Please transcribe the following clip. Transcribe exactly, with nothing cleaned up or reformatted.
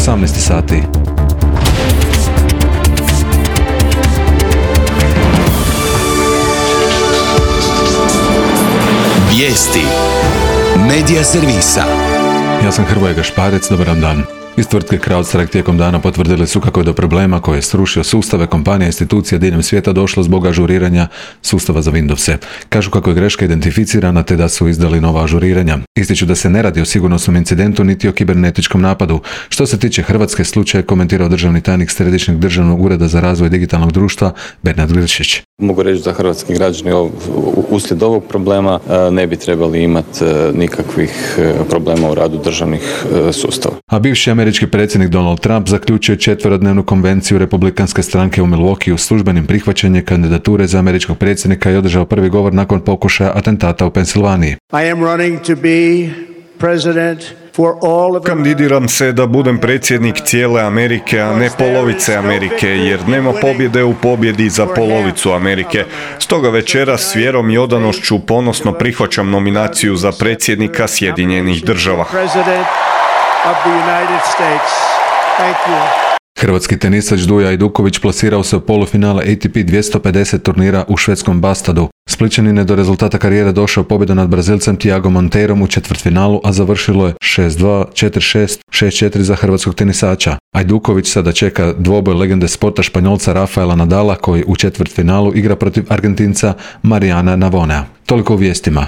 osamnaest sati. Vijesti Medija servisa. Ja sam Hrvoje Gašparec, dobar vam dan. Iz tvrtke CrowdStrike tijekom dana potvrdili su kako je do problema koje je srušio sustave kompanija i institucija diljem svijeta došlo zbog ažuriranja sustava za Windowse. Kažu kako je greška identificirana te da su izdali nova ažuriranja. Ističu da se ne radi o sigurnosnom incidentu niti o kibernetičkom napadu. Što se tiče Hrvatske, slučaj komentirao državni tajnik Središnjeg državnog ureda za razvoj digitalnog društva Bernard Grčić. Mogu reći da hrvatski građani uslijed ovog problema ne bi trebali imati nikakvih problema u radu državnih sustava. A bivši američki predsjednik Donald Trump zaključio četverodnevnu konvenciju republikanske stranke u Milwaukee službenim prihvaćanjem kandidature za američkog predsjednika i održao prvi govor nakon pokušaja atentata u Pensilvaniji. I am running to be president for all of Kandidiram se da budem predsjednik cijele Amerike, a ne polovice Amerike, jer nema pobjede u pobjedi za polovicu Amerike. Stoga večeras s vjerom i odanošću ponosno prihvaćam nominaciju za predsjednika Sjedinjenih Država. Hrvatski tenisač Duja Ajduković plasirao se u polufinale A T P dvjesto pedeset turnira u švedskom Bastadu. Splićanin je do rezultata karijere došao pobjedom nad Brazilcem Tiagom Monteirom u četvrtfinalu, a završilo je šest dva, četiri šest, šest četiri za hrvatskog tenisača. Ajduković sada čeka dvoboj legende sporta Španjolca Rafaela Nadala koji u četvrtfinalu igra protiv Argentinca Mariana Navonea. Toliko u vijestima.